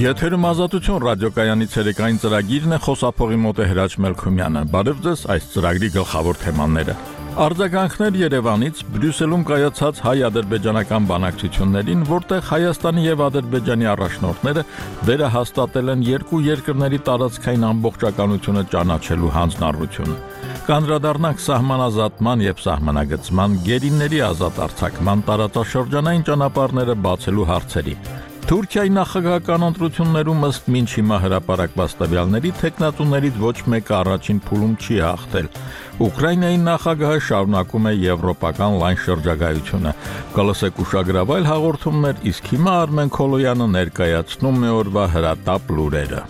Եթերում ազատություն ռադիոկայանի ցերեկային ծրագիրն է, խոսափողի մոտ է Հրաչ Մելքումյանը։ Բարև ձեզ, այս ծրագրի գլխավոր թեմաները։ Արձագանքներ Երևանից Բրյուսելում կայացած հայ-ադրբեջանական բանակցություններին, որտեղ Հայաստանի եւ Ադրբեջանի առաջնորդները վերահաստատել են երկու երկրների տարածքային ամբողջականությունը ճանաչելու հանձնառությունը։ Կանդրադառնանք սահմանազատման եւ սահմանագծման, գերիների ազատ արձակման, տարածաշրջանային ճանապարհները բացելու հարցերի։ Թուրքիայի նախագահական ընտրություններում ըստ մինչ հիմա հրապարակված տվյալների թեկնածուներից ոչ մեկը առաջին փուլում չի հաղթել։ Ուկրաինայի նախագահը շարունակում է եվրոպական լայն շրջագայությունը։ Կլսեք ուշագրավայր հաղորդումներ, իսկ հիմա Արմեն Քոլոյանը ներկայացնում է օրվա հրատապ լուրերը։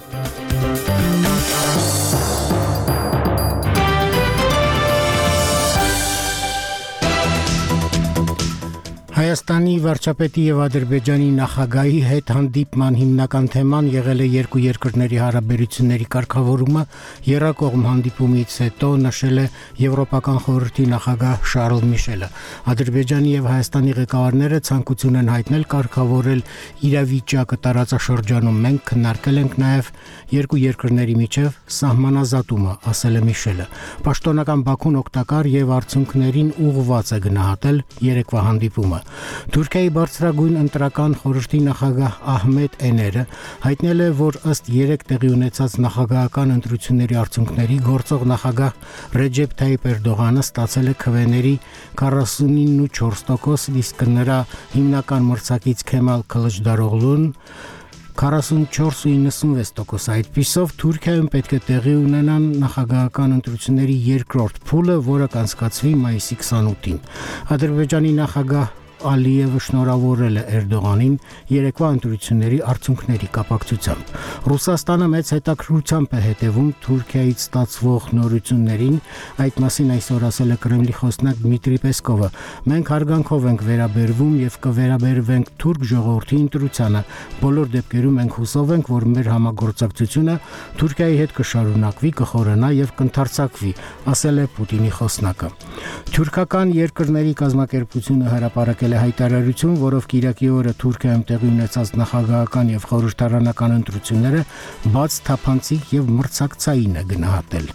Հայաստանի վարչապետի եւ Ադրբեջանի նախագահի հետ հանդիպման հիմնական թեման եղել է երկու երկրների հարաբերությունների կարգավորումը, եռակողմ հանդիպումից հետո նշել է Եվրոպական խորհրդի նախագահ Շարլ Միշելը։ Ադրբեջանի եւ Հայաստանի ղեկավարները ցանկություն են հայտնել կարգավորել իրավիճակը տարածաշրջանում։ Մենք քննարկել ենք նաեւ երկու երկրների միջև սահմանազատումը, ասել է Միշելը։ Պաշտոնական Բաքուն օգտակար եւ արդյունքներին ուղղված է գնահատել երեկվա հանդիպումը։ Թուրքիայի բարձրագույն ընտրական խորհրդի նախագահ Ահմեդ Էները հայտնել է, որ ըստ 3 տեղի ունեցած նախագահական ընտրությունների արդյունքների գործող նախագահ Ռեջեփ Թայիփ Էրդողանը ստացել է քվեների 49.4%, իսկ նրա հիմնական մրցակից Քեմալ Քլիչդարօղլուն 44.96%։ Այդպիսով Թուրքիայում պետք է տեղի ունենան նախագահական ընտրությունների երկրորդ փուլը, որը կանցկացվի մայիսի 28-ին։ Ադրբեջանի նախագահ Ալիևը շնորհավորել է Էրդողանին երեկվա ընտրությունների արդյունքների կապակցությամբ։ Ռուսաստանը մեծ հետաքրքրությամբ է հետևում Թուրքիայից ստացվող նորություններին, այդ մասին այսօր ասել է Կրեմլի խոսնակ Դմիտրի Պեսկովը։ Մենք հարգանքով ենք վերաբերվում եւ կվերաբերվենք թուրք ժողովրդի ընտրությանը։ Բոլոր դեպքերում մենք հուսով ենք, որ մեր համագործակցությունը Թուրքիայի հետ կշարունակվի, կխորանա եւ կընդարձակվի, ասել է Պուտինի խոսնակը։ Թուրքական երկրների կազմակերպությունը հրապարակել հայտարարություն, որով Կիրակի օրը Թուրքիայում տեղի ունեցած նախագահական եւ խորհրդարանական ընտրությունները բաց, թափանցիկ եւ մրցակցային է գնահատել։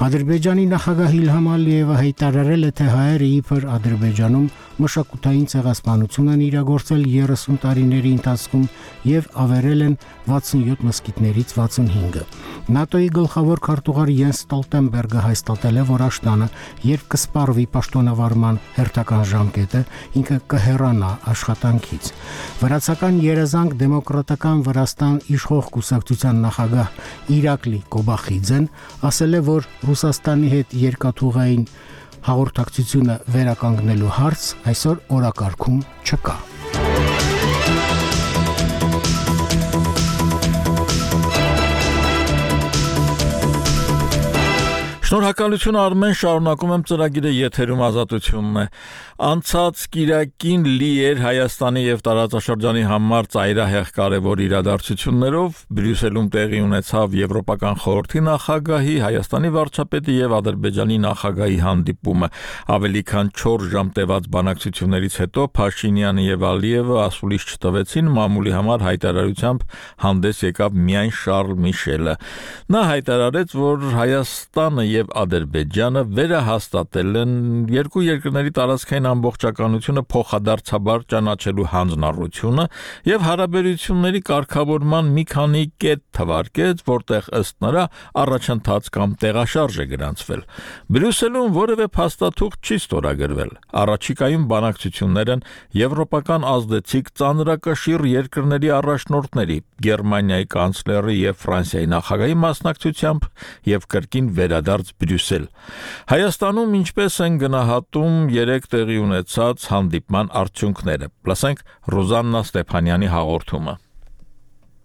Ադրբեջանի նախագահ Իլհամ Ալիևը հայտարարել է, թե հայերը իբր Ադրբեջանում մշակութային ցեղասպանություն են իրագործել 30 տարիների ընթացքում եւ ավերել են 67 մզկիթներից 65-ը։ ՆԱՏՕ-ի գլխավոր քարտուղար Յենս Ստոլտենբերգը հաստատել է, որ Աշտանը, երբ կսպառվի պաշտոնավարման հերթական ժամկետը, ինքը կհեռանա աշխատանքից։ Վրացական երազանք դեմոկրատական Վրաստան իշխող կուսակցության նախագահ Իրակլի Կոբախիձեն ասել է, որ Ռուսաստանի հետ երկաթուղային հաղորդակցությունը վերականգնելու հարց այսօր օրակարգում չկա։ Շնորհակալություն Արմեն, շարունակում եմ ծրագիրը, եթերում ազատությունն է։ Անցած Կիրակին լի էր Հայաստանի եւ տարածաշրջանի համար ծայրահեղ կարևոր իրադարձություններով։ Բրյուսելում տեղի ունեցավ Եվրոպական խորհրդի նախագահի, Հայաստանի վարչապետի եւ Ադրբեջանի նախագահի հանդիպումը։ Ավելի քան 4 ժամ տևած բանակցություններից հետո Փաշինյանը եւ Ալիևը ասուլիս չտվեցին, մամուլի համար հայտարարությամբ հանդես եկավ միայն Շարլ Միշելը։ Նա հայտարարեց, որ Հայաստանը եւ Ադրբեջանը վերահաստատել են երկու երկրների տարածքային ամբողջականությունը փոխադարձաբար ճանաչելու հանձնառությունը եւ հարաբերությունների կարգավորման մի քանի կետ թվարկեց, որտեղ ըստ նրա առաջընթաց կամ տեղաշարժ է գրանցվել։ Բրյուսելում որևէ փաստաթուղթ չի ստորագրվել։ Առաջիկայում բանակցություններ են եվրոպական ազդեցիկ ծանրակշիռ երկրների առաջնորդների, Գերմանիայի կանցլերի եւ Ֆրանսիայի նախագահի մասնակցությամբ եւ կրկին վերադարձ Բրյուսել։ Հայաստանում ինչպես են գնահատում 3 տեղի ունեցած հանդիպման արդյունքները։ Լսենք Ռոզաննա Ստեփանյանի հաղորդումը։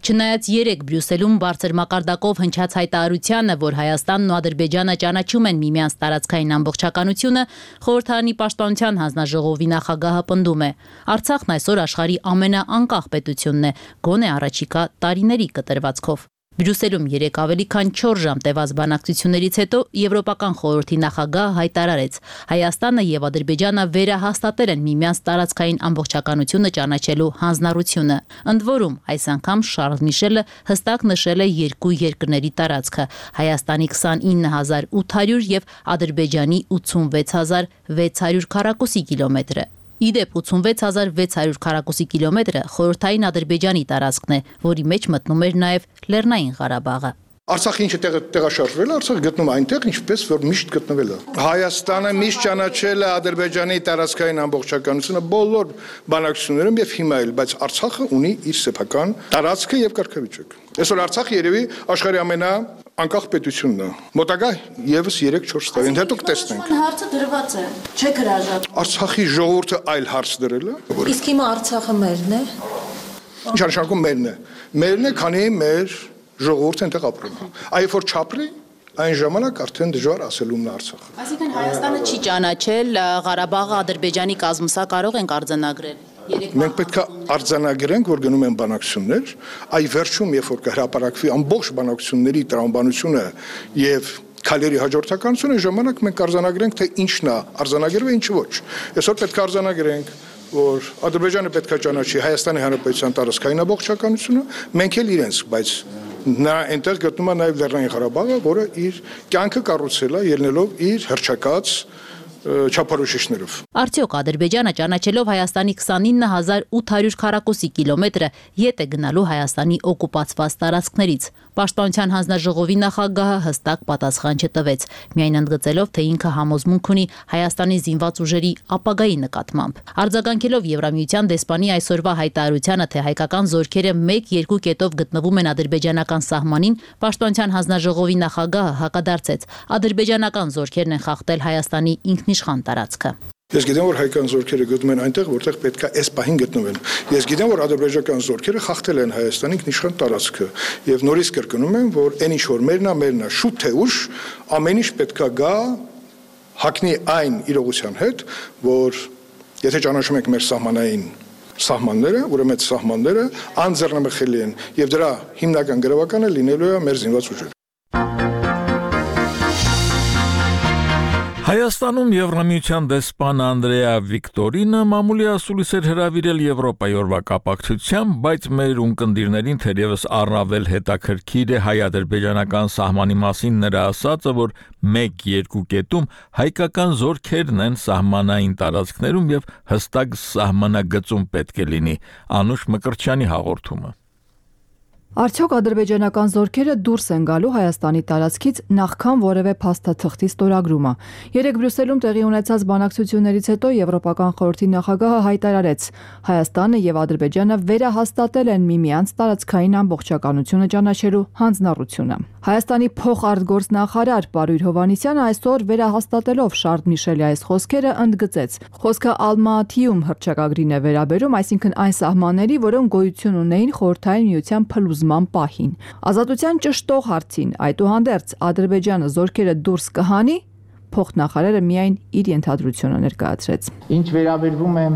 Չնայած 3 Բրյուսելում բարձր մակարդակով հնչած հայտարարությանը, որ Հայաստանն ու Ադրբեջանը ճանաչում են միմյանց տարածքային ամբողջականությունը, խորհրդարանի պաշտպանության հանձնաժողովի նախագահը պնդում է. Արցախն այսօր աշխարհի ամենաանկախ պետությունն է, գոնե առաջիկա տարիների կտրվածքով։ Բրյուսելում 3 ավելի քան 4 ժամ տևած բանակցություններից հետո Եվրոպական խորհրդի նախագահը հայտարարեց. Հայաստանը եւ Ադրբեջանը վերահաստատել են միմյանց տարածքային ամբողջականությունը ճանաչելու հանձնառությունը։ Ընդ որում, այս անգամ Շարլ Միշելը հստակ նշել է երկու երկրների տարածքը՝ Հայաստանի 29800 եւ Ադրբեջանի 86600 քառակուսի կիլոմետրը։ Իդեպ 86600 քառակուսի կիլոմետրը խորհրդային Ադրբեջանի տարածքն է, որի մեջ մտնում էր նաև Լեռնային Ղարաբաղը։ Արցախը ինչ տեղաշարժվել է, Արցախը գտնում է այնտեղ, ինչպես որ միշտ գտնվել է։ Հայաստանը միշտ ճանաչել է Ադրբեջանի տարածքային ամբողջականությունը բոլոր բանակցություններում եւ հիմա էլ, բայց Արցախը ունի իր սեփական տարածքը եւ կարգավիճակ։ Այսօր Արցախը երևի աշխարհի ամենաանկախ պետությունն է։ Մոտակա եւս 3-4 տարին հետո կտեսնենք։ Հարցը դրված է, չէ՞ հրաժարվում։ Արցախի ժողովուրդը այլ հարց դրել է։ Իսկ հիմա Արցախը մերն է։ Ինչ արշանքում մերն է։ Մերն է, քանի մեր ժողովուրդը այնտեղ ապրում է։ Այո, որ չապրի, այն ժամանակ արդեն դժվար ասելումն է Արցախը։ Այսինքն Հայաստանը չի ճանաչել Ղարաբաղը Ադրբեջանի կազմում, սա կարող ենք արձանագրել։ Մենք պետք է արձանագրենք, որ գնում են բանակցություններ, այ վերջում, երբ որ կհրապարակվի ամբողջ բանակցությունների տրամաբանությունը եւ քայլերի հաջորդականությունը, ժամանակ մենք արձանագրենք, թե ինչն է արձանագրվել, ինչը ոչ։ Այսօր պետք է արձանագրենք, որ Ադրբեջանը պետք է ճանաչի Հայաստանի Հանրապետության տարածքային ամբողջականությունը, մենք էլ իրենց, բայց նա այնտեղ գտնում է նաև Լեռնային Ղարաբաղը, որը իր կյանքը կառուցել է ելնելով իր հռչակած չափորոշիչներով։ Արդյոք Ադրբեջանը ճանաչելով Հայաստանի 29800 քառակուսի կիլոմետրը ետ է գնալու Հայաստանի օկուպացված տարածքներից։ Պաշտպանության հանձնաժողովի նախագահը հստակ պատասխան չտվեց, միայն ընդգծելով, թե ինքը համոզմունք ունի Հայաստանի զինված ուժերի ապագայի նկատմամբ։ Արձագանքելով Եվրամիության դեսպանի այսօրվա հայտարարությանը, թե հայկական զորքերը 1-2 կետով գտնվում են ադրբեջանական սահմանին, Պաշտպանության հանձնաժողովի նախագահը հակադարձեց. ադրբեջանական զորքերն են խախտել Հայաստանի ինքնիշխան տարածքը։ Ես գիտեմ, որ հայկական զորքերը գտնվում են այնտեղ, որտեղ պետք է այս պահին գտնվեն։ Ես գիտեմ, որ ադրբեջանական զորքերը խախտել են Հայաստանի ինքնիշխան տարածքը եւ նորից կրկնում եմ, որ այն ինչ որ մերնա շուտ թե ուշ ամեն ինչ պետք է գա հակնի այն իրողության հետ, որ եթե ճանաչում ենք մեր սահմանները, ուրեմն այդ սահմանները անձեռնմխելի են եւ դրա հիմնական գրավականը լինելու է մեր զինված ուժերը։ Հայաստանում Եվրամիության դեսպան Անդրեա Վիկտորինը մամուլի ասուլիս էր հրավիրել Եվրոպայի օրվա կապակցությամբ, բայց մեր ունկնդիրներին թերևս առավել հետաքրքիր է հայ-ադրբեջանական սահմանի մասին նրա ասածը, որ 1-2 կետում հայկական զորքերն են սահմանային տարածքներում եւ հստակ սահմանագծում պետք է լինի։ Անուշ Մկրտչյանի հաղորդումը։ Արդյոք ադրբեջանական զորքերը դուրս են գալու Հայաստանի տարածքից նախքան որևէ փաստաթղթի ստորագրումը։ Երեկ Բրյուսելում տեղի ունեցած բանակցություններից հետո Եվրոպական խորհրդի նախագահը հայտարարեց. Հայաստանը եւ Ադրբեջանը վերահաստատել են միմյանց տարածքային ամբողջականությունը ճանաչելու հանձնառությունը։ Հայաստանի փոխարտգործնախարար Պարույր Հովհաննիսյանը այսօր վերահաստատելով Շարլ Միշելի այս խոսքերը ընդգծեց. խոսքը Ալմատիում հռչակագրին է վերաբերում, այսինքն այն սահմանների, որոնք գոյություն ունեին խորհրդային միության փլուզման պահին։ Ազատության ճշտող հարցին, այդուհանդերձ Ադրբեջանը զորքերը դուրս կհանի, փոխնախարարը միայն իր ենթադրությունը ներկայացրեց։ Ինչ վերաբերվում է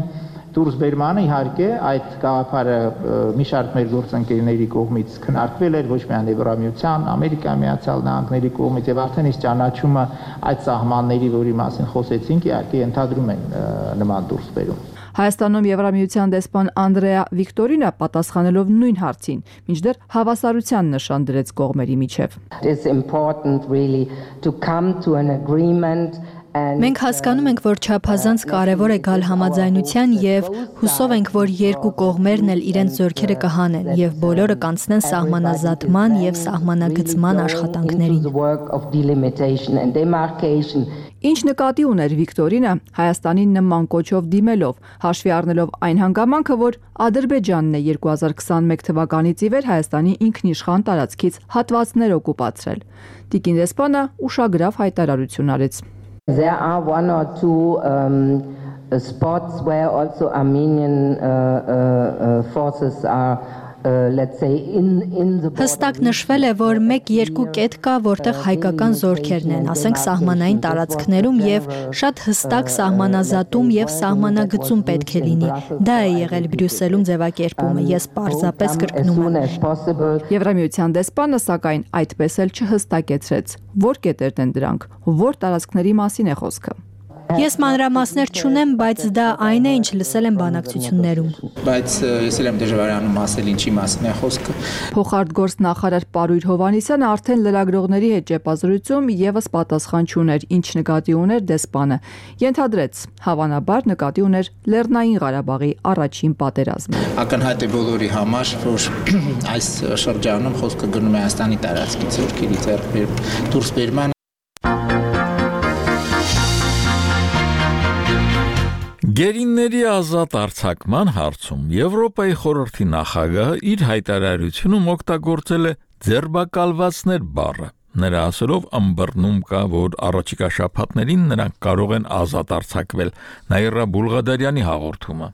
դուրսբերմանը, իհարկե այդ գաղափարը մի շարք մեր գործընկերների կողմից քննարկվել էր ոչ միայն Եվրամիության, Ամերիկայի Միացյալ Նահանգների կողմից եւ արդեն իսկ ճանաչումը այդ սահմանների, որի մասին խոսեցինք, իհարկե ենթադրում են նման դուրսբերում։ Հայաստանում Եվրամիության դեսպան Անդրեա Վիկտորինը պատասխանելով նույն հարցին, մինչդեռ հավասարության նշան դրեց կողմերի միջև։ Մենք հասկանում ենք, որ չափազանց կարևոր է գալ համաձայնության եւ հուսով ենք, որ երկու կողմերն էլ իրենց զորքերը կհանեն եւ բոլորը կանցնեն սահմանազատման եւ սահմանագծման աշխատանքներին։ Ինչ նկատի ուներ Վիկտորինը Հայաստանին նման կոչով դիմելով, հաշվի առնելով այն հանգամանքը, որ Ադրբեջանն է 2021 թվականից ի վեր Հայաստանի ինքնիշխան տարածքից հատվածներ օկուպացրել։ Տիկին դեսպանը ուշագրավ հայտարարություն արեց։ There are one or two spots where also Armenian forces are let's say in the Հստակ նշվել է, որ 1-2 կետ կա, որտեղ հայկական զորքերն են, ասենք սահմանային տարածքներում եւ շատ հստակ սահմանազատում եւ սահմանագծում պետք է լինի։ Դա է եղել Բրյուսելում ձևակերպումը, ես պարզապես կրկնում եմ։ Եվրամիության դեսպանը սակայն այդպես էլ չհստակեցրեց, որ կետերն են դրանք, որ տարածքների մասին է խոսքը։ Ես մանրամասներ չունեմ, բայց դա այն է, ինչ լսել եմ բանակցություններում։ Բայց ես էլ եմ դժվարանում ասել ինչի մասին է խոսքը։ Փոխարտգործ նախարար Պարույր Հովհաննիսյանը արդեն լրագրողների հետ ճեպազրույցում եւս պատասխան չուներ, ինչ նկատի ուներ դեսպանը։ Ենթադրեց, հավանաբար նկատի ուներ Լեռնային Ղարաբաղի առաջին պատերազմը։ Ակնհայտ է բոլորի համար, որ այս շրջանում խոսքը գնում է Հայաստանի տարածքից զորքերի դուրսբերման։ Գերինների ազատ արձակման հարցում Եվրոպայի խորհրդի նախագահը իր հայտարարությունում օգտագործել է ձերբակալվածներ բառը։ Նրա ասելով ըմբռնում կա, որ առաջիկա շաբաթներին նրանք կարող են ազատ արձակվել, Նաիրա Բուլղադարյանի հաղորդումը։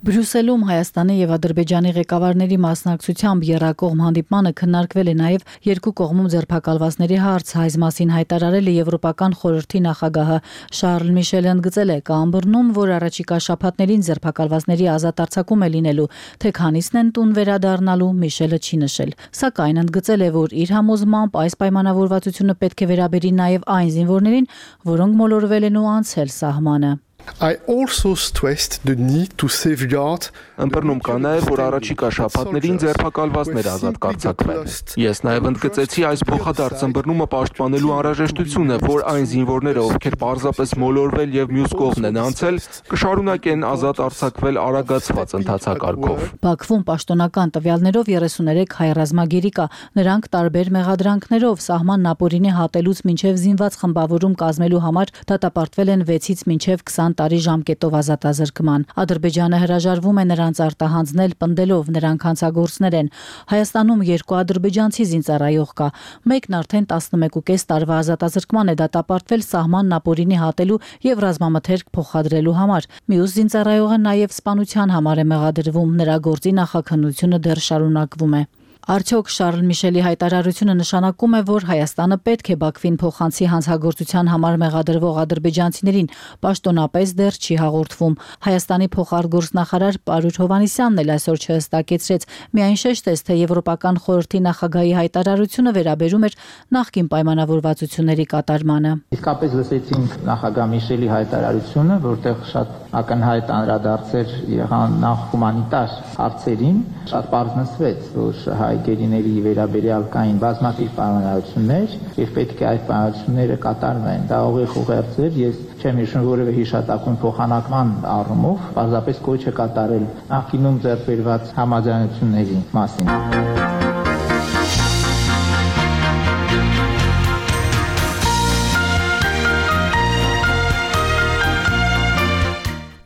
Բրյուսելում Հայաստանի եւ Ադրբեջանի ղեկավարների մասնակցությամբ եռակողմ հանդիպմանը քննարկվել է նաեւ երկու կողմում ձերբակալվածների հարց, այս մասին հայտարարել է Եվրոպական խորհրդի նախագահը Շարլ Միշելը ընդգծել է, կա ըմբռնում, որ առաջիկա շաբաթներին ձերբակալվածների ազատ արձակում է լինելու, թե քանիսն են տուն վերադառնալու, Միշելը չի նշել, սակայն ընդգծել է, որ իր համոզմամբ այս պայմանավորվածությունը պետք է վերաբերի նաեւ այն զինվորներին, որոնք մոլորվել են ու անցել սահմանը։ I also stressed the need to safeguard Ըմբռնում կա նաև, որ առաջիկա շաբաթներին ձերբակալվածներ ազատ կարձակվեն։ Ես նաև ընդգծեցի այս փոխադարձ ըմբռնումը պաշտպանելու անհրաժեշտությունը, որ այն զինվորները, ովքեր պարզապես մոլորվել եւ մյուս կողմն են անցել, կշարունակեն ազատ արձակվել արագացված ընթացակարգով։ Բաքվում պաշտոնական տվյալներով 33 հայ ռազմագերի կա, նրանք տարբեր մեղադրանքներով սահմանն ապօրինի հատելուց մինչև զինված խմբավորում կազմելու համար դատապարտվել են 6-ից մինչև 20 տարի ժամկետով ազատազրկման։ Ադրբեջանը հրաժարվում է նրանց արտահանձնել պնդելով նրանք հանցագործներ են։ Հայաստանում 2 ադրբեջանցի զինծառայող կա, մեկն արդեն 11.5 տարվա ազատազրկման է դատապարտվել սահմանն ապօրինի հատելու եւ ռազմամթերք փոխադրելու համար։ Մյուս զինծառայողը նաեւ սպանության համար է մեղադրվում, նրա գործի նախաքննությունը դեռ շարունակվում է։ Արդյոք Շարլ Միշելի հայտարարությունը նշանակում է, որ Հայաստանը պետք է Բաքվին փոխանցի հանցագործության համար մեղադրվող ադրբեջանցիներին, պաշտոնապես դեռ չի հաղորդվում։ Հայաստանի փոխարտգործնախարար Պարույր Հովհաննիսյանն էլ այսօր չհստակեցրեց, միայն շեշտեց, թե Եվրոպական խորհրդի նախագահի հայտարարությունը վերաբերում էր նախկին պայմանավորվածությունների կատարմանը։ Իսկապես լսեցինք նախագահ Միշելի հայտարարությունը, որտեղ շատ ակնհայտ անդրադարձեր եղան նախ հումանիտար հարցերին, շատ պարզ նշվեց, որ հայ գերիների վերաբերյալ կային բազմաթիվ պայմանավորություններ եւ պետք է այդ պայմանավորությունները կատարվեն։ Դա ուղիղ ուղերձ էր, ես չեմ հիշում որևէ հիշատակում փոխանակման առումով, պարզապես կոչ է կատարել նախկինում ձեռք բերված համաձայնությունների մասին։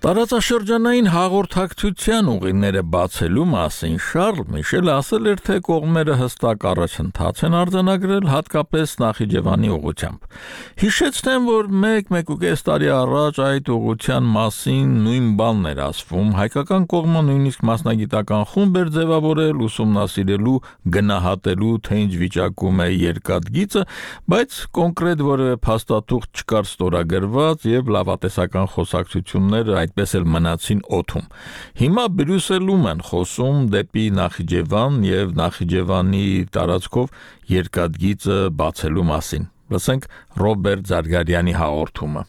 Տարածաշրջանային հաղորդակցության ուղիները բացելու մասին Շարլ Միշելը ասել էր, թե կողմերը հստակ առաջընթաց են արձանագրել հատկապես Նախիջևանի ուղղությամբ։ Հիշեցնեմ, որ 1-1.5 տարի առաջ այդ ուղղության մասին նույն բանն էր ասվում, հայկական կողմը նույնիսկ մասնագիտական խումբ էր ձևավորել ուսումնասիրելու, գնահատելու, թե ինչ վիճակում է երկաթգիծը, բայց կոնկրետ որևէ փաստաթուղթ չկար ստորագրված եւ լավատեսական խոսակցությունները այդպես էլ մնացին օդում։ Հիմա Բրյուսելում են խոսում դեպի Նախիջևան եւ Նախիջևանի տարածքով երկաթգիծը բացելու մասին։ Լսենք Ռոբերտ Զարգարյանի հաղորդումը։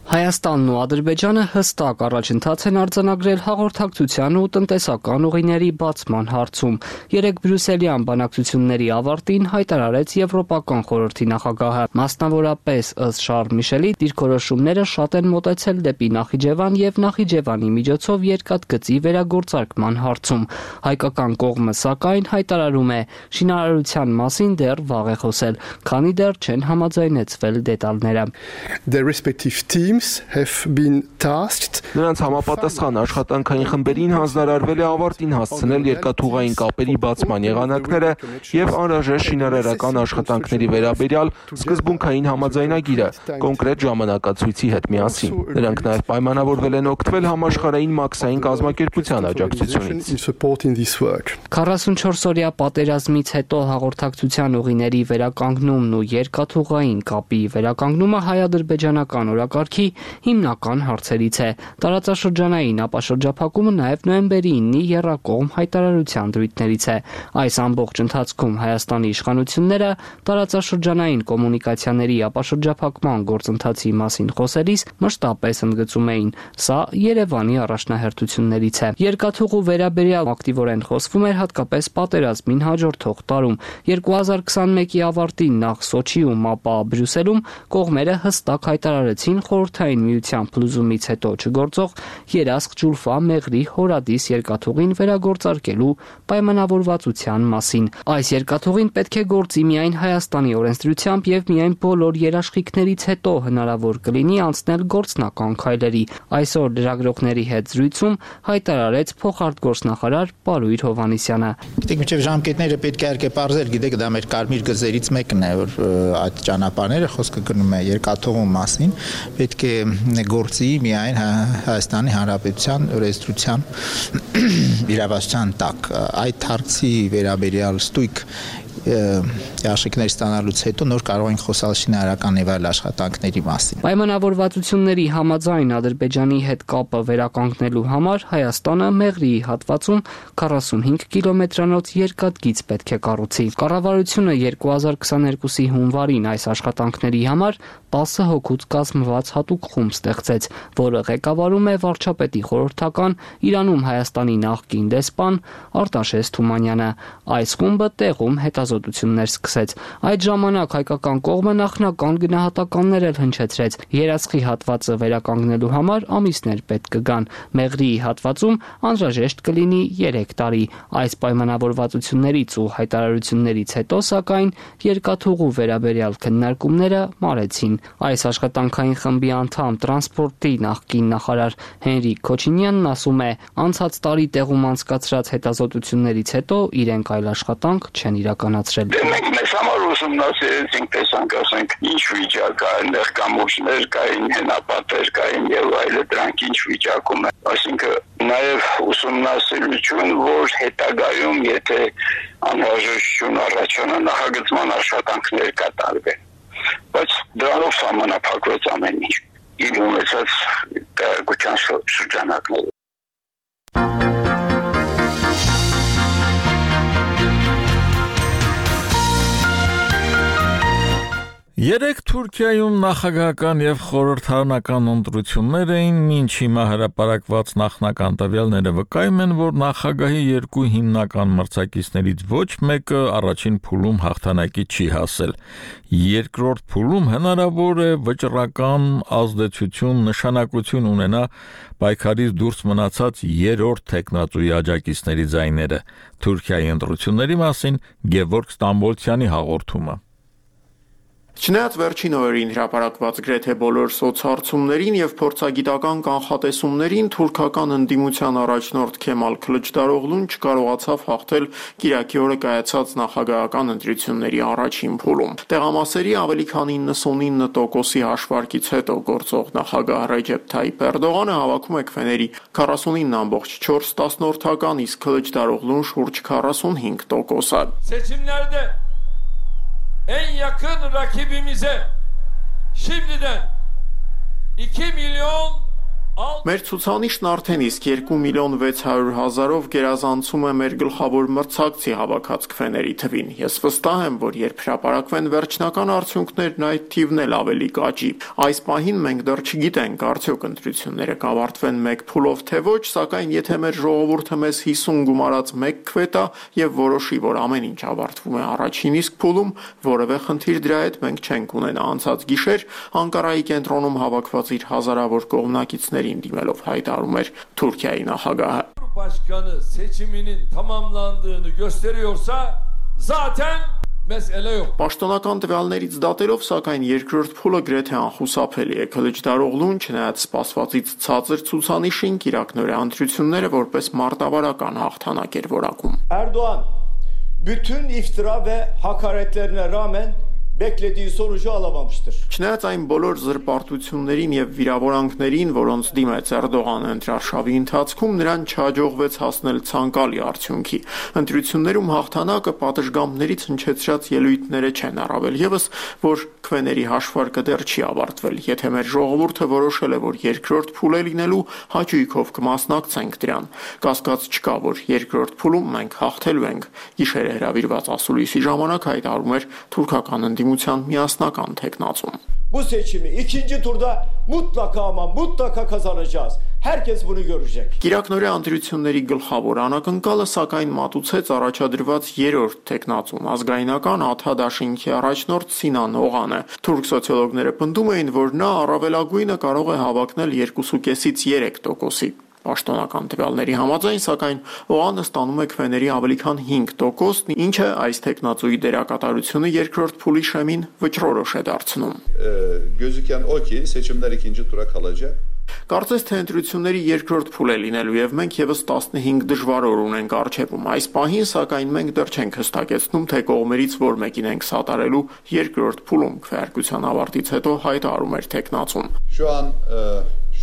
Հայաստանն ու Ադրբեջանը հստակ առաջընթաց են արձանագրել հաղորդակցության ու տնտեսական ուղիների բացման հարցում։ Երեկ Բրյուսելյան բանակցությունների ավարտին հայտարարեց Եվրոպական խորհրդի նախագահը։ Մասնավորապես ըստ Շարլ Միշելի դիրքորոշումները շատ են մոտեցել դեպի Նախիջևան եւ Նախիջևանի միջոցով երկաթգծի վերագործարկման հարցում։ Հայկական կողմը սակայն հայտարարում է, շինարարության մասին դեռ վաղ է խոսել, քանի դեռ չեն համաձայնեցվել դետալները։ Their respective teams teams have been tasked. Նրանց համապատասխան աշխատանքային խմբերին հանձնարարվել է ավարտին հասցնել երկաթուղային կապերի բացման եղանակները եւ անհրաժեշտ շինարարական աշխատանքների վերաբերյալ սկզբունքային համաձայնագիրը կոնկրետ ժամանակացույցի հետ միասին։ Նրանք նաեւ պայմանավորվել են օգտվել համաշխարհային մաքսային կազմակերպության աջակցությունից։ 44-օրյա պատերազմից հետո հաղորդակցության ուղիների վերականգնումն ու երկաթուղային կապի վերականգնումը հայ-ադրբեջանական օրակարգի հիմնական հարցերից է։ Տարածաշրջանային ապաշրջափակումը նաև նոյեմբերի 9-ի եռակողմ հայտարարության դրույթներից է։ Այս ամբողջ ընթացքում Հայաստանի իշխանությունները տարածաշրջանային կոմունիկացիաների ապաշրջափակման գործընթացի մասին խոսելիս մշտապես ընդգծում էին. սա Երևանի առաջնահերթություններից է։ Երկաթուղու վերաբերյալ ակտիվորեն խոսվում էր հատկապես պատերազմին հաջորդող տարում։ 2021-ի ավարտին նախ Սոչիում, ապա Բրյուսելում կողմերը հստակ հայտարարեցին Խորհրդային Միության փլուզումից հետո չգործող Երասխ-Ջուլֆա Մեղրի Հորադիս երկաթուղին վերագործարկելու պայմանավորվածության մասին։ Այս երկաթուղին պետք է գործի միայն Հայաստանի օրենսդրությամբ եւ միայն բոլոր երաշխիքներից հետո հնարավոր կլինի անցնել գործնական քայլերի։ Այսօր լրագրողների հետ զրույցում հայտարարեց փոխարտգործնախարար Պարույր Հովհաննիսյանը։ Գիտեք, մինչև ժամկետները պետք է իհարկե պարզել, գիտեք, դա մեր կարմիր գծերից մեկն է, որ այդ ճանապարհները խոսքը գնում է երկաթուղու մասին, պետք է գործի միայն Հայաստանի Հանրապետության օրենսդրության իրավասության տակ։ Այդ հարցի վերաբերյալ ստույգ Աշիկներ ստանալուց հետո նոր կարող ենք խոսալ շինարարական եւ այլ աշխատանքների մասին։ Պայմանավորվածությունների համաձայն Ադրբեջանի հետ կապը վերականգնելու համար Հայաստանը Մեղրիի հատվածում 45 կիլոմետրանոց երկաթգիծ պետք է կառուցի։ Կառավարությունը 2022-ի հունվարին այս աշխատանքների համար 10 հոգուց կազմված հատուկ խումբ ստեղծեց, որը ղեկավարում է վարչապետի խորհրդական Իրանում Հայաստանի նախկին դեսպան Արտաշես Թումանյանը։ Այս խումբը տեղում հետազոտություններ սկսեց։ Այդ ժամանակ հայկական կողմը նախնական գնահատականներ էլ հնչեցրեց։ Երասխի հատվածը վերականգնելու համար ամիսներ պետք կգան։ Մեղրիի հատվածում անհրաժեշտ կլինի 3 տարի։ Այս պայմանավորվածություններից ու հայտարարություններից հետո, սակայն, երկաթուղու վերաբերյալ քննարկումները մարեցին։ Այս աշխատանքային խմբի անդամ տրանսպորտի նախկին նախարար Հենրիկ Քոչինյանն ասում է, անցած տարի տեղում անցկացրած հետազոտություններից հետո իրենք այլ աշխատանք չեն իրականացրել։ Մենք մեզ համար ուսումնասիրեցինք, տեսանք, ասենք, ինչ վիճակ կա, այնտեղ կամուրջներ կային, հենապատեր կային եւ այլը, դրանք ինչ վիճակում են։ Այսինքն նաեւ ուսումնասիրություն, որ հետագայում, եթե անհրաժեշտություն առաջանա, նախագծման աշխատանքներ կատարվեն։ Բայց դրանով սահմանափակվեց ամեն ինչ։ Իր ունեցած տեղեկության շրջանակները։ Երեք Թուրքիայում նախագահական եւ խորհրդարանական ընտրություններ էին, մինչ հիմա հրապարակված նախնական տվյալները վկայում են, որ նախագահի երկու հիմնական մրցակիցներից ոչ մեկը առաջին փուլում հաղթանակի չի հասել։ Երկրորդ փուլում հնարավոր է վճռական ազդեցություն, նշանակություն ունենա պայքարից դուրս մնացած երրորդ տեխնատուի աջակիցների ձայները։ Թուրքիայի ընտրությունների մասին Գևորգ Ստամբոլցյանի հաղորդումը։ Չնայած վերջին օրերին հրապարակված գրեթե բոլոր սոցհարցումներին եւ փորձագիտական կանխատեսումներին, թուրքական ընդդիմության առաջնորդ Քեմալ Քլիչդարօղլուն չկարողացավ հաղթել Կիրակի օրը կայացած նախագահական ընտրությունների առաջին փուլում։ Տեղամասերի ավելի քան 99%-ի հաշվարկից հետո գործող նախագահ Ռեջեփ Թայիփ Էրդողանը հավաքում է քվեների 49.4%, իսկ Քլիչդարօղլուն շուրջ 45%-ը։ En yakın rakibimize şimdiden 2 milyon Մեր ցուցանիշն արդեն իսկ 2.600.000-ով գերազանցում է մեր գլխավոր մրցակցի հավաքած քվեների թվին։ Ես վստահ եմ, որ երբ հրապարակվեն վերջնական արդյունքներն, այդ թիվն էլ ավելի կաճի։ Այս պահին մենք դեռ չգիտենք, արդյոք ընտրությունները կավարտվեն մեկ փուլով թե ոչ, սակայն եթե մեր ժողովուրդը մեզ 50 գումարած մեկ քվե տա եւ որոշի, որ ամեն ինչ ավարտվում է առաջին իսկ փուլում, որևէ խնդիր դրա հետ մենք չենք ունենա։ Անցած գիշեր Անկարայի կենտրոնում հավաքված իր հազարավոր կողմնակիցներին դիմելով հայտարարում էր Թուրքիայի նախագահը։ Başkanı seçiminin tamamlandığını gösteriyorsa zaten mesele yok. Պաշտոնական տվյալներից դատելով, սակայն երկրորդ փուլը գրեթե անխուսափելի է։ Քլիչդարօղլուն չնայած սպասվածից ցածր ցուցանիշին Իրաքնորե ընտրությունները որպես մարտավարական հաղթանակ էր որակում։ Erdoğan bütün iftira ve hakaretlerine rağmen beklediği sonucu alamamıştır. Չնայած այն բոլոր զրպարտություններին եւ վիրավորանքներին, որոնց դիմեց Էրդողանը ընտրարշավի ընթացքում, նրան չհաջողվեց հասնել ցանկալի արդյունքի։ Ընտրություններում հաղթանակը պատշգամբներից հնչեցրած ելույթները չեն, առավել եւս, որ քվեների հաշվարկը դեռ չի ավարտվել։ Եթե մեր ժողովուրդը որոշել է, որ երկրորդ փուլ է լինելու, հաճույքով կմասնակցենք դրան։ Կասկած չկա, որ երկրորդ փուլում մենք հաղթելու ենք։ Գիշերը հրավիրված ասուլիսի ժամանակ հայտարարում էր թուրքական ընդդիմության միասնական թեկնածուն։ Bu seçimi ikinci turda mutlaka ama mutlaka kazanacağız. Herkes bunu görecek. Իրաքնորե ընտրությունների գլխավոր անակնկալը սակայն մատուցեց առաջադրված երրորդ տեխնացուն ազգայնական ԱԹԱ-դաշինքի առաջնորդ Սինան Օղանը։ Թուրք սոցիոլոգները պնդում էին, որ նա առավելագույնը կարող է հավակնել 2.5-ից 3%-ի։ Պաշտոնական տվյալների համաձայն, սակայն Օղանը ստանում է քվեների ավելի քան 5%, ինչը այս տեխնացուի դերակատարությունը երկրորդ փուլի շեմին վճռորոշ է դարձնում։ Gözüken o ki seçimler ikinci tura kalacak. Կարծես թե ընտրությունների երկրորդ փուլ է լինելու եւ մենք եւս 15 դժվար օր ունենք առջեվում։ Այս պահին սակայն մենք դեռ չենք հստակեցնում, թե կողմերից որ մեկին ենք սատարելու երկրորդ փուլում քվեարկության ավարտից հետո հայտարարում էր տեխնացուն։ Şu an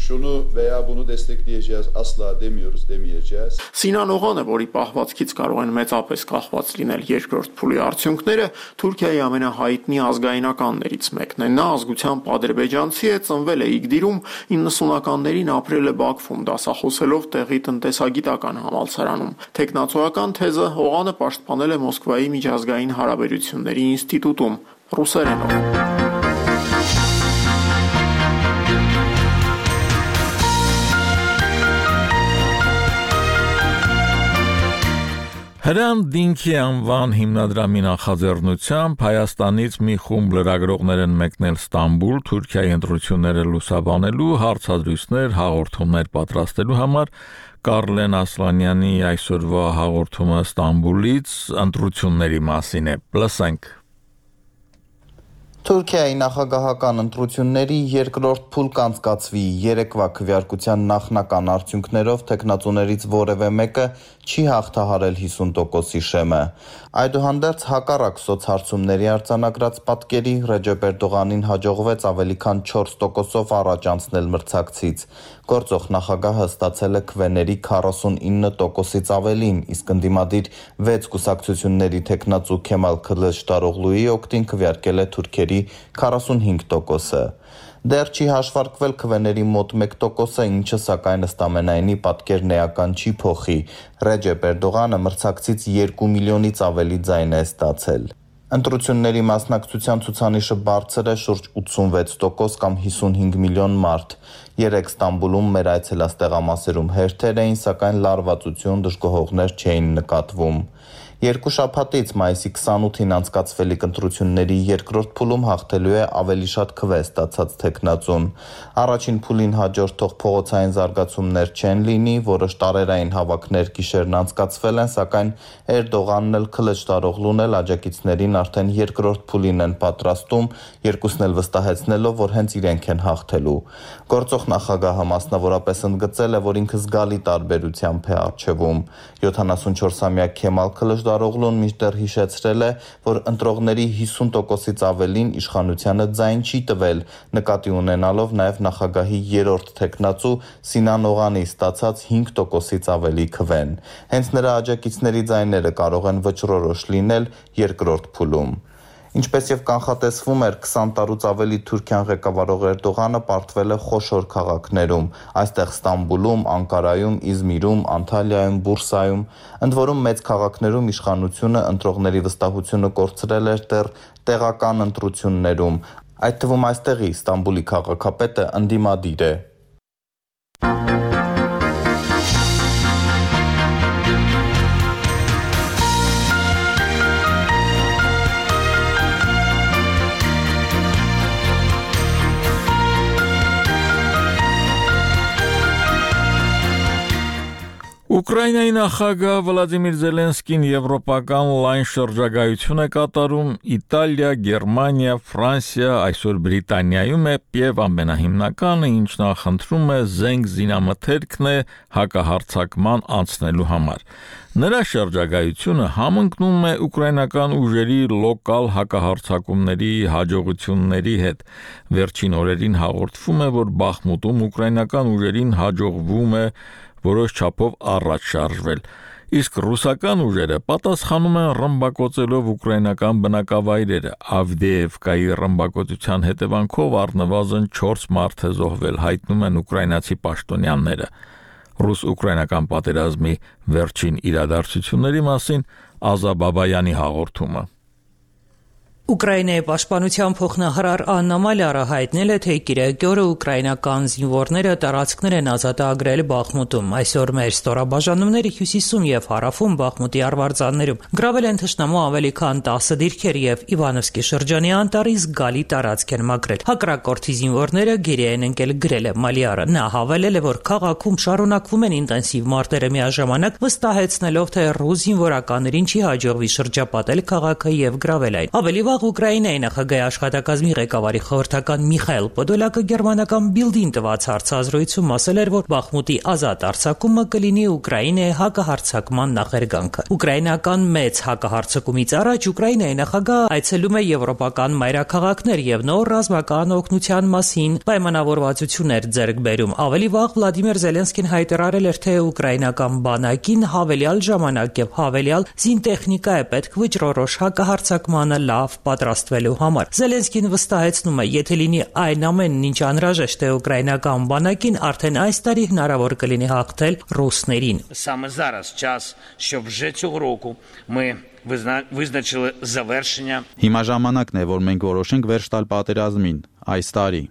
şunu veya bunu destekleyeceğiz asla demiyoruz, demeyeceğiz. Սինան Օղանը, որի պահվածքից կարող են մեծապես կախված լինել երկրորդ փուլի արդյունքները, Թուրքիայի ամենահայտնի ազգայնականներից մեկն է։ Նա ազգությամբ ադրբեջանցի է, ծնվել է Իգդիրում, 90-ականներին ապրել է Բաքվում, դասախոսելով տեղի տնտեսագիտական համալսարանում։ Տեխնացուական թեզը Օղանը պաշտպանել է Մոսկվայի միջազգային հարաբերությունների ինստիտուտում ռուսերենով։ Հրան Դինքի անվան հիմնադրամի նախաձեռնությամբ Հայաստանից մի խումբ լրագրողներ են մեկնել Ստամբուլ, Թուրքիայի ընտրությունները լուսաբանելու, հարցադրույթներ, հաղորդումներ պատրաստելու համար։ Կարլեն Ասլանյանի այսօրվա հաղորդումը Ստամբուլից ընտրությունների մասին է։ Լսենք։ Թուրքիայի նախագահական ընտրությունների երկրորդ փուլ կանցկացվի երեկվա քվեարկության նախնական արդյունքներով տեխնացուներից որևէ մեկը չի հաղթահարել 50%-ի շեմը։ Այդուհանդերձ հակառակ սոցհարցումների արձանագրած պատկերի Ռեջեփ Էրդողանին հաջողվեց ավելի քան 4%-ով առաջ անցնել մրցակցից։ Գործող նախագահը ստացել է քվեների 49%-ից ավելին, իսկ ընդդիմադիր 6 կուսակցությունների տեխնացու Քեմալ Քլիչդարօղլուի օգտին քվեարկել է թուրքերի 45%-ը։ Դեռ չի հաշվարկվել քվեների մոտ 1%-ը, ինչը սակայն ըստ ամենայնի պատկերն էական չի փոխի։ Ռեջեփ Էրդողանը մրցակցից 2 միլիոնից ավելի ձայն է ստացել։ Ընտրությունների մասնակցության ցուցանիշը բարձր է շուրջ 86% կամ 55 միլիոն մարդ։ Երեք Ստամբուլում մեր այցելած տեղամասերում հերթեր էին, սակայն լարվածություն, դժգոհողներ չէին նկատվում։ Երկու շաբաթից մայիսի 28-ին անցկացվելիք ընտրությունների երկրորդ փուլում հաղթելու է ավելի շատ քվե ստացած տեխնացուն։ Առաջին փուլին հաջորդող փողոցային զարգացումներ չեն լինի, որոշ տարերային հավաքներ գիշերն անցկացվել են, սակայն Էրդողանն էլ Քլիչդարօղլուն էլ աջակիցներին արդեն երկրորդ փուլին են պատրաստում, երկուսն էլ վստահեցնելով, որ հենց իրենք են հաղթելու։ Գործող նախագահը մասնավորապես ընդգծել է, որ ինքը զգալի տարբերությամբ է առջևում։ 74-ամյա Քեմալ Քլիչդարօղլուն մինչդեռ հիշեցրել է, որ ընտրողների 50%-ից ավելին իշխանությանը ձայն չի տվել, նկատի ունենալով նաև նախագահի երրորդ տեխնացու Սինան Օղանի ստացած 5%-ից ավելի քվեն։ Հենց նրա աջակիցների ձայները կարող են վճռորոշ լինել երկրորդ փուլում։ Ինչպես եւ կանխատեսվում էր, 20 տարուց ավելի Թուրքիան ղեկավարող Էրդողանը պարտվել է խոշոր քաղաքներում, այստեղ Ստամբուլում, Անկարայում, Իզմիրում, Անտալիայում, Բուրսայում, ընդ որում մեծ քաղաքներում իշխանությունը ընտրողների վստահությունը կորցրել էր դեռ տեղական ընտրություններում, այդ թվում այստեղի Ստամբուլի քաղաքապետը ընդդիմադիր է։ Ուկրաինայի նախագահ Վլադիմիր Զելենսկին եվրոպական լայն շրջագայություն է կատարում Իտալիա, Գերմանիա, Ֆրանսիա, այսօր Բրիտանիայում է եւ ամենահիմնականը, ինչ նախընտրում է զենք զինամթերքն է հակահարձակման անցնելու համար։ Նրա շրջագայությունը համընկնում է ուկրաինական ուժերի լոկալ հակահարձակումների հաջողությունների հետ։ Վերջին օրերին հաղորդվում է, որ Բախմուտում ուկրաինական ուժերին հաջողվում է որոշ չափով առաջ շարժվել, իսկ ռուսական ուժերը պատասխանում են ռմբակոծելով ուկրաինական բնակավայրերը։ Ավդեևկայի ռմբակոծության հետևանքով առնվազն 4 մարդ է զոհվել, հայտնում են ուկրաինացի պաշտոնյաները։ Ռուս-ուկրաինական պատերազմի վերջին իրադարձությունների մասին Ազա Բաբայանի հաղորդումը։ Ուկրաինայի պաշտպանության փոխնախարար Աննա Մալյարը հայտնել է, թե կիրակի օրը ուկրաինական զինվորները տարածքներ են ազատագրել Բախմուտում։ Այսօր մեր ստորաբաժանումները հյուսիսում եւ հարավում Բախմուտի արվարձաններում գրավել են թշնամու ավելի քան 10 դիրքեր եւ Իվանովսկի շրջանի անտառի զգալի տարածք են մաքրել։ Հակառակորդի զինվորները գերի են ընկել, գրել է Մալյարը։ Նա հավելել է, որ քաղաքում շարունակվում են ինտենսիվ մարտերը, միաժամանակ վստահեցնելով, թե ռուս զինվորականներին չի հաջողվի շրջապատել քաղաքը եւ գրավել այն։ Ավելի Ուկրաինայի նախագահի աշխատակազմի ղեկավարի խորհրդական Միխայել Պոդոլակը գերմանական Բիլդին տված հարցազրույցում ասել էր, որ Բախմուտի ազատ արձակումը կլինի Ուկրաինայի հակահարձակման նախերգանքը։ Ուկրաինական մեծ հակահարձակումից առաջ Ուկրաինայի նախագահը այցելում է եվրոպական մայրաքաղաքներ եւ նոր ռազմական օգնության մասին պայմանավորվածություններ ձեռք բերում։ Ավելի վաղ Վլադիմիր Զելենսկին հայտարարել էր, թե ուկրաինական բանակին հավելյալ ժամանակ եւ հավելյալ զինտեխնիկա է պետք վճռորոշ հակահարձակմանը լավ պատրաստվելու համար։ Զելենսկին վստահեցնում է, եթե լինի այն ամենն, ինչ անհրաժեշտ է ուկրաինական բանակին, արդեն այս տարի հնարավոր կլինի հաղթել ռուսներին։ Саме зараз час, щоб вже цього року ми визначили завершення. Հիմա ժամանակն է, որ մենք որոշենք վերջ տալ պատերազմին այս տարի։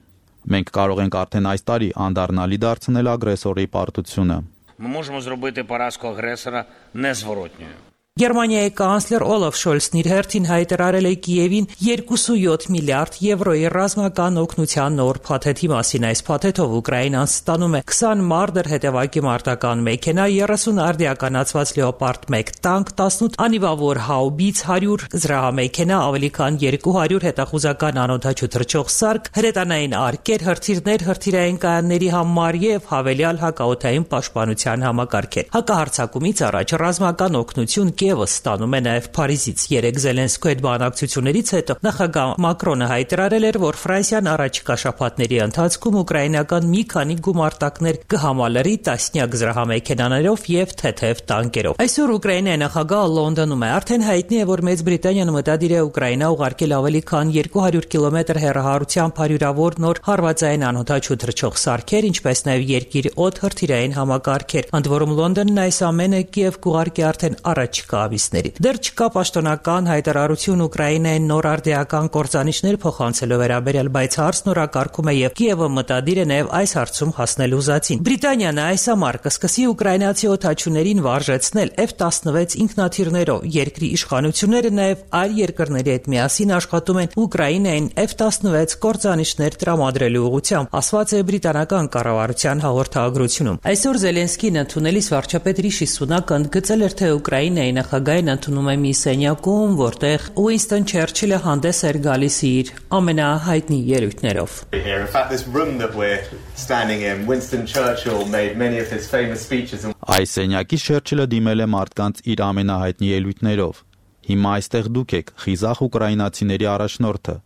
Մենք կարող ենք արդեն այս տարի անդառնալի դարձնել ագրեսորի պարտությունը։ Ми можемо зробити поразку агресора незворотньою. Գերմանիայի կանցլեր Օլաֆ Շոլցն իր հերթին հայտարարել է Կիևին 2.7 միլիարդ եվրոյի ռազմական օգնության նոր փաթեթի մասին։ Այս փաթեթով Ուկրաինան ստանում է 20 մարդեր հետևակի մարտական մեքենա, 30 արդիականացված Լեոպարդ 1 տանկ, 18 անիվավոր հաուբից, 100 զրահամեքենա, ավելի քան 200 հետախուզական անօդաչու թռչող սարք, հրետանային արկեր, հրթիռներ, հրթիռային կայանների համար եւ հավելյալ հակաօդային պաշտպանության համակարգեր։ Հակահարձակումից առաջ ռազմական օգնություն Կիևը ստանում է նաև Փարիզից։ Երեք Զելենսկու հետ բանակցություններից հետո նախագահ Մակրոնը հայտարարել էր, որ Ֆրանսիան առաջիկա շաբաթների ընթացքում ուկրաինական մի քանի գումարտակներ կհամալրի տասնյակ զրահամեքենաներով եւ թեթև տանկերով։ Այսօր Ուկրաինայի նախագահը Լոնդոնում է։ Արդեն հայտնի է, որ Մեծ Բրիտանիան մտադիր է Ուկրաինա ուղարկել ավելի քան 200 կիլոմետր հեռահարությամբ հարյուրավոր նոր հարվածային անօդաչու թռչող սարքեր, ինչպես նաև երկիր օդ հրթիռային համակարգեր։ Ընդ որում Լոնդոնն այս ամենը Կիև կուղարկի արդեն առաջիկա ամիսներին։ Դեռ չկա պաշտոնական հայտարարություն Ուկրաինային նոր արդիական կործանիչներ փոխանցելու վերաբերյալ, բայց հարցն օրակարգում է եւ Կիևը մտադիր է նաեւ այս հարցում հասնել ուզածին։ Բրիտանիան այս ամառ կսկսի ուկրաինացի օդաչուներին վարժեցնել F-16 ինքնաթիռներով։ Երկրի իշխանությունները նաեւ այլ երկրների հետ միասին աշխատում են Ուկրաինային F-16 կործանիչներ տրամադրելու ուղղությամբ, ասված է բրիտանական կառավարության հաղորդագրությունում։ Այսօր Զելենսկին ընդունելիս վարչապետ Ռիշի Սունակը ընդգծել էր, թե Ուկրաինայի նախագահին ընդունում է մի սենյակում, որտեղ Ուինստոն Չերչիլը հանդես էր գալիս իր ամենահայտնի ելույթներով։ Այս սենյակի Չերչիլը դիմել է մարդկանց իր ամենահայտնի ելույթներով։ Հիմա այստեղ դուք եք, խիզախ ուկրաինացիների առաջնորդը,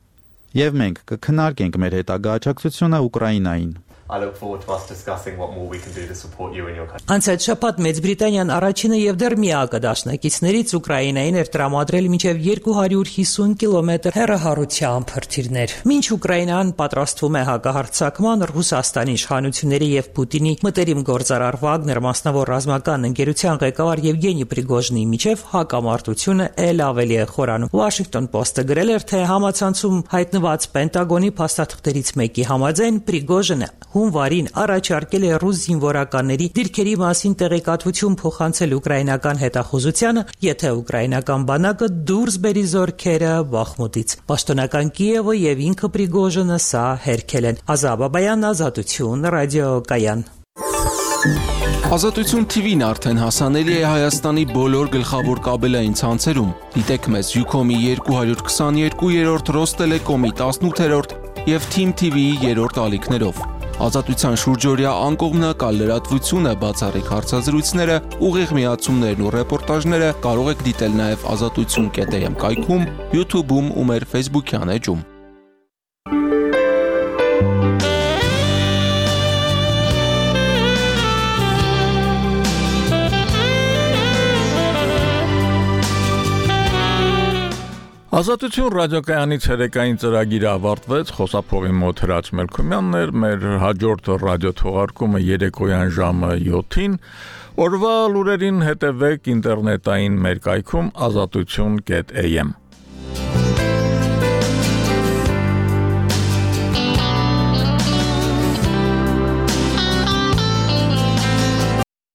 եւ մենք կքննարկենք մեր հետագա աջակցությունը Ուկրաինային։ I look forward to us discussing what more we can do to support you in your country. Անցած շաբաթ Մեծ Բրիտանիան առաջինը եւ դեռ միակը դաշնակիցներից Ուկրաինային էր տրամադրել մինչեւ 250 կիլոմետր հեռահարությամբ հրթիռներ։ Մինչ Ուկրաինան պատրաստվում է հակահարձակման, Ռուսաստանի իշխանությունների եւ Պուտինի մտերիմ գործարար Վագներ մասնավոր ռազմական ընկերության ղեկավար Եվգենի Պրիգոժնի միջև հակամարտությունը ել ավելի է խորանում։ Washington Post-ը գրել էր, թե համացանցում հայտնված Պենտագոնի փաստաթղթերից մեկի համաձայն Պրիգոժինը հունվարին առաջարկել է ռուս զինվորականների դիրքերի մասին տեղեկատվություն փոխանցել ուկրաինական հետախուզությանը, եթե ուկրաինական բանակը դուրս բերի զորքերը Բախմուտից։ Պաշտոնական Կիևը եւ ինքը Պրիգոժինը սա հերքել են։ Ազա Բաբայան, Ազատություն, ռադիոկայան։ Ազատություն TV-ն արդեն հասանելի է Հայաստանի բոլոր գլխավոր կաբելային ցանցերում։ Դիտեք մեզ Ucom-ի 222-րդ, Rosttelecom-ի 18-րդ եւ Team TV-ի 3-րդ ալիքներով։ Ազատության շուրջօրյա անկողմնակալ լրատվությունը, բացառիկ հարցազրույցները, ուղիղ միացումներն ու ռեպորտաժները կարող եք դիտել նաեւ azatutsun.am կայքում, YouTube-ում ու մեր Facebook-յան էջում։ Ազատություն ռադիոկայանի ցերեկային ծրագիրը ավարտվեց, խոսափողի մոտ Հրաչ Մելքումյանն էր, մեր հաջորդ ռադիոթողարկումը երեկոյան ժամը 7-ին, օրվա լուրերին հետևեք ինտերնետային մեր կայքում azatutsun.am